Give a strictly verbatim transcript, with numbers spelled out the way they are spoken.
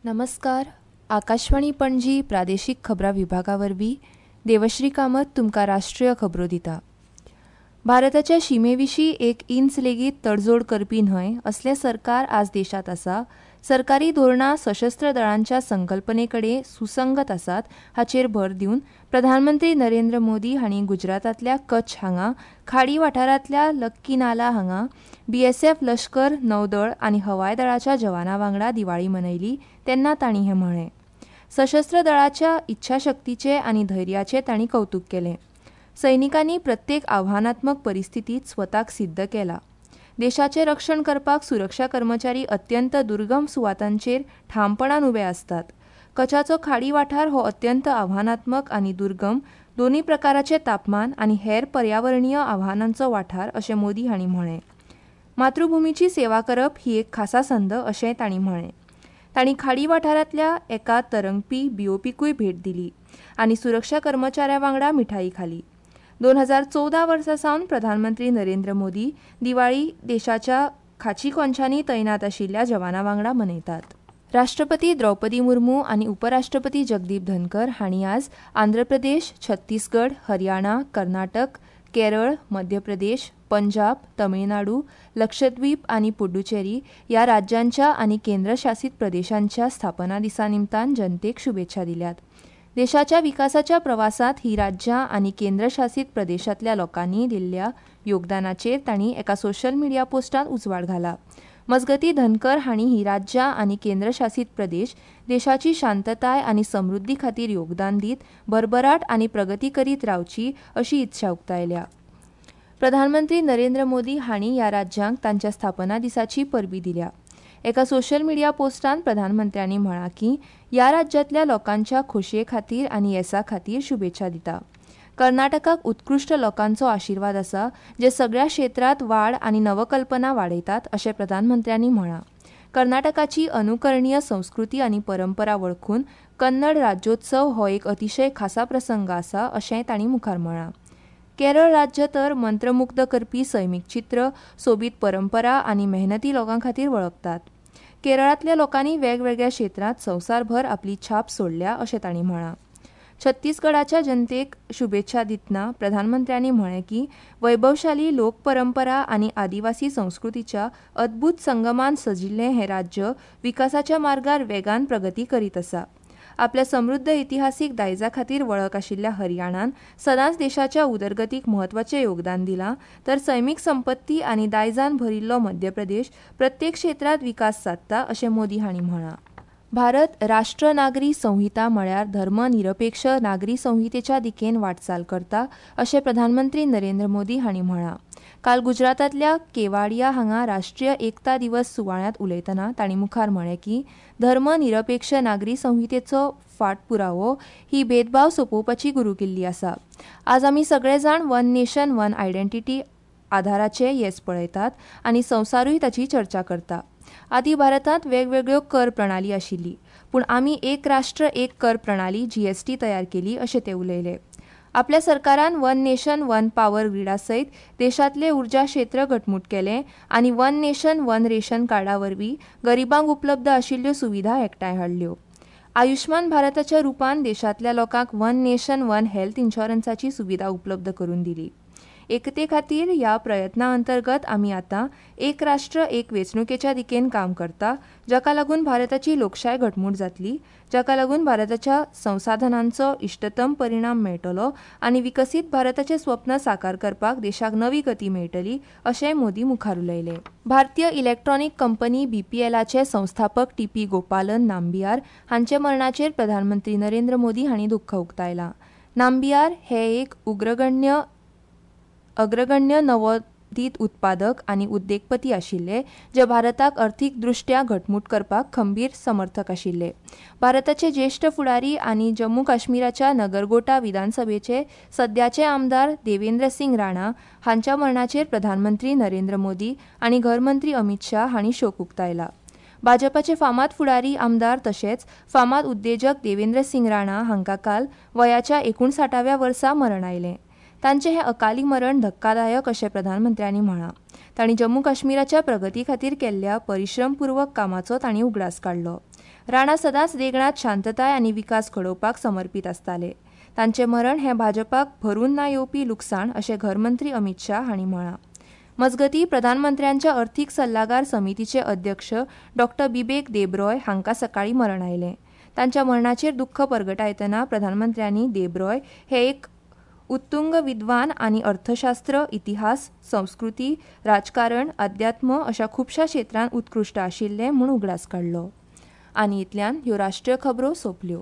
नमस्कार. आकाशवाणी पणजी प्रादेशीक खबरां विभागा वरवीं देवश्री कामत तुमकां राष्ट्रीय खबरो दिता. भारताच्या शिमेविशीं एक इंच लेगीत तडजोड करपी न्हय असलें सरकार आज देशांत आसा. सरकारी धोरणां सशस्त्र दळांच्या संकल्पने कडेन सुसंगत आसात हाचेर भर दिवन प्रधानमंत्री नरेंद्र मोदी हांणी गुजरातांतल्या कच्छ हांगा खाडी वाठारांतल्या लक्की नाला हांगा बीएसएफ, लश्कर, नौदळ आनी हवाय दळाच्या जवानां वांगडा दिवाळी मनयली तेन्ना तांणी हें म्हळें. सशस्त्र दळाच्या इच्छाशक्तीचें आनी धैर्याचें तांणी कवतूक केलें. सैनिकांनी प्रत्येक आव्हानात्मक परिस्थितीत स्वताक सिद्ध केला. देशाचें रक्षण करपाक सुरक्षा कर्मचारी अत्यंत दुर्गम सुवातांचेर ठामपणान उबे आसतात. कच्छाचो खाडी वाठार हो अत्यंत आव्हानात्मक आनी दुर्गम दोनूय प्रकाराचे तापमान आनी हेर पर्यावरणीय आव्हानांचो वाठार अशें मोदी हांणी म्हळें. मातृभूमीची सेवा करप ही एक खासा संद अशेंय तांणी म्हळें. तांणी खाडी वाठारांतल्या एका तरंगपी बीओपीकूय भेट दिली आनी सुरक्षा कर्मचाऱ्यां वांगडा मिठाई खाली. दोन हजार चवदा वर्सा सावन प्रधानमंत्री नरेंद्र मोदी दिवाळी देशाच्या खाची कोनशांनी तैनात आशिल्ल्या जवानां वांगडा मनयतात. राष्ट्रपती द्रौपदी मुर्मू आनी उपराष्ट्रपती जगदीप धनकर हांणी आज आंध्र प्रदेश, छत्तीसगड, हरियाणा, कर्नाटक, केरळ, मध्य प्रदेश, पंजाब, तमिळनाडू, लक्षद्वीप आनी पुडुचेरी ह्या राज्यांच्या आनी केंद्रशासीत प्रदेशांच्या स्थापना दिसा निमतान जनतेक शुभेच्छा दिल्यात. देशाच्या विकासाच्या प्रवासांत ही राज्यां आनी केंद्रशासीत प्रदेशांतल्या लोकांनी दिल्ल्या योगदानाचेर तांणी एका सोशल मिडिया पोस्टांत उजवाड घाला. मजगतीं, धनकर हांणी ही राज्यां आनी केंद्रशासीत प्रदेश देशाची शांतताय आनी समृद्धी खातीर योगदान दीत भरभराट आनी प्रगती करीत रावची अशी इत्सा उक्तायल्या. प्रधानमंत्री नरेंद्र मोदी हांणी ह्या राज्यांक तांच्या स्थापना दिसाची परबी दिल्या. एका सोशल मिडिया पोस्टांत प्रधानमंत्र्यांनी म्हळां की ह्या राज्यांतल्या लोकांच्या खोशये खातीर आनी येसा खातीर शुभेच्छा दिता. कर्नाटकाक उत्कृश्ट लोकांचो आशिर्वाद आसा जे सगळ्या क्षेत्रांत वाड आनी नवकल्पना वाडयतात अशें प्रधानमंत्र्यांनी म्हळां. कर्नाटकाची अनुकरणीय संस्कृती आनी परंपरा वळखून कन्नड राज्योत्सव हो एक अतिशय खासा प्रसंग आसा अशेंय तांणी मुखार म्हळां. केरळ राज्य तर मंत्रमुग्ध करपी सैमीक चित्र, सोबीत परंपरा आनी मेहनती लोकां खातीर वळखतात. केरळांतल्या लोकांनी वेगवेगळ्या क्षेत्रांत संवसारभर आपली छाप सोडल्या अशें तांणी म्हळां. छत्तीसगडाच्या जनतेक शुभेच्छा दितना प्रधानमंत्र्यांनी म्हळें की वैभवशाली लोकपरंपरा आनी आदिवासी संस्कृतीच्या अद्भूत संगमान सजिल्लें हें राज्य विकासाच्या मार्गार वेगान प्रगती करीत आसा. आपल्या समृद्ध इतिहासीक दायजा खातीर वळख आशिल्ल्या हरियाणान सदांच देशाच्या उदरगतीक म्हत्वाचें योगदान दिलां, तर सैमीक संपत्ती आनी दायजान भरिल्लो मध्य प्रदेश प्रत्येक क्षेत्रांत विकास सादता अशें मोदी हांणी म्हळां. भारत राष्ट्र नागरी संहिता म्हळ्यार धर्मनिरपेक्ष नागरी संहितेच्या दिकेन वाटचाल करता अशें प्रधानमंत्री नरेंद्र मोदी हांणी म्हळां. काल गुजरातांतल्या केवाडिया हांगा राष्ट्रीय एकता दिवस सुवाळ्यांत उलयतना तांणी मुखार म्हळें की धर्मनिरपेक्ष नागरी संहितेचो फाटपुरावो ही भेदभाव सोंपोवपाची गुरुकिल्ली आसा. आज आमी सगळे जाण वन नेशन वन आयडेंटिटी आधाराचे येस पळयतात आनी संवसारूय ताची चर्चा करता. आदी भारतांत वेगवेगळ्यो कर प्रणाली आशिल्ली, पूण आमी एक राष्ट्र एक कर प्रणाली जीएसटी तयार केली अशें ते उलयले. आपल्या सरकारान वन नेशन वन पावर ग्रीडा सयत देशांतले उर्जा क्षेत्र घटमूट केलें आनी वन नेशन वन रेशन कार्डा वरवीं गरिबांक उपलब्ध आशिल्ल्यो सुविधा एकठांय हाडल्यो. आयुष्मान भारताच्या रुपान देशांतल्या लोकांक वन नेशन वन हेल्थ इन्शुरन्साची सुविधा उपलब्ध करून दिली. एकते खातीर ह्या प्रयत्ना अंतर्गत आमी आतां एक राष्ट्र एक वेंचणुकेच्या दिकेन काम करता, जाका लागून भारताची लोकशाय घटमूट जातली, जाका लागून भारताच्या संसाधनांचो इश्टतम परिणाम मेळटलो आनी विकसीत भारताचें स्वप्न साकार करपाक देशाक नवी गती मेळटली अशेंय मोदी मुखार उलयले. भारतीय इलेक्ट्रॉनिक कंपनी बीपीएलाचे संस्थापक टी पी गोपालन नाम्बियार हांचे मरणाचेर प्रधानमंत्री नरेंद्र मोदी हांणी दुख्ख उक्तायलां. नाम्बियार हे एक उग्रगण्य अग्रगण्य नवोदीत उत्पादक आनी उद्देगपती आशिल्ले जे भारताक अर्थीक दृश्ट्या घटमूट करपाक खंबीर समर्थक आशिल्ले. भारताचे ज्येश्ठ फुडारी आनी जम्मू काश्मीराच्या नगरगोटा विधानसभेचे सद्याचे आमदार देवेंद्र सिंग राणा हांच्या मरणाचेर प्रधानमंत्री नरेंद्र मोदी आनी घरमंत्री अमित शाह हांणी शोक उक्तायला. भाजपाचे फामाद फुडारी आमदार तशेंच फामाद उद्देजक देवेंद्र सिंग राणा हांकां काल वयाच्या एकुणसाठाव्या वर्सा मरण आयलें. तांचें हें अकाली मरण धक्कादायक अशें प्रधानमंत्र्यांनी म्हळां. तांणी जम्मू काश्मीराच्या प्रगती खातीर केल्ल्या परिश्रमपूर्वक कामाचो तांणी उगडास काडलो. राणा सदांच देगणात शांतताय आनी विकास घडोवपाक समर्पित आसताले. तांचे मरण हे भाजपाक भरून ना येवपी लुकसाण अशें घरमंत्री अमित शाह हांणी म्हळां. मजगतीं, प्रधानमंत्र्यांच्या अर्थिक सल्लागार समितीचे अध्यक्ष डॉ बिबेक देबरॉय हांकां सकाळीं मरण आयलें. तांच्या मरणाचेर दुख्ख परगटायतना प्रधानमंत्र्यांनी देबरॉय हे एक उत्तुंग विद्वान आनी अर्थशास्त्र, इतिहास, संस्कृती, राजकारण, अध्यात्म अशा खुबश्या क्षेत्रांत उत्कृश्ट आशिल्ले म्हूण उगडास काडलो. आनी इतल्यान ह्यो राष्ट्रीय खबरो सोंपल्यो.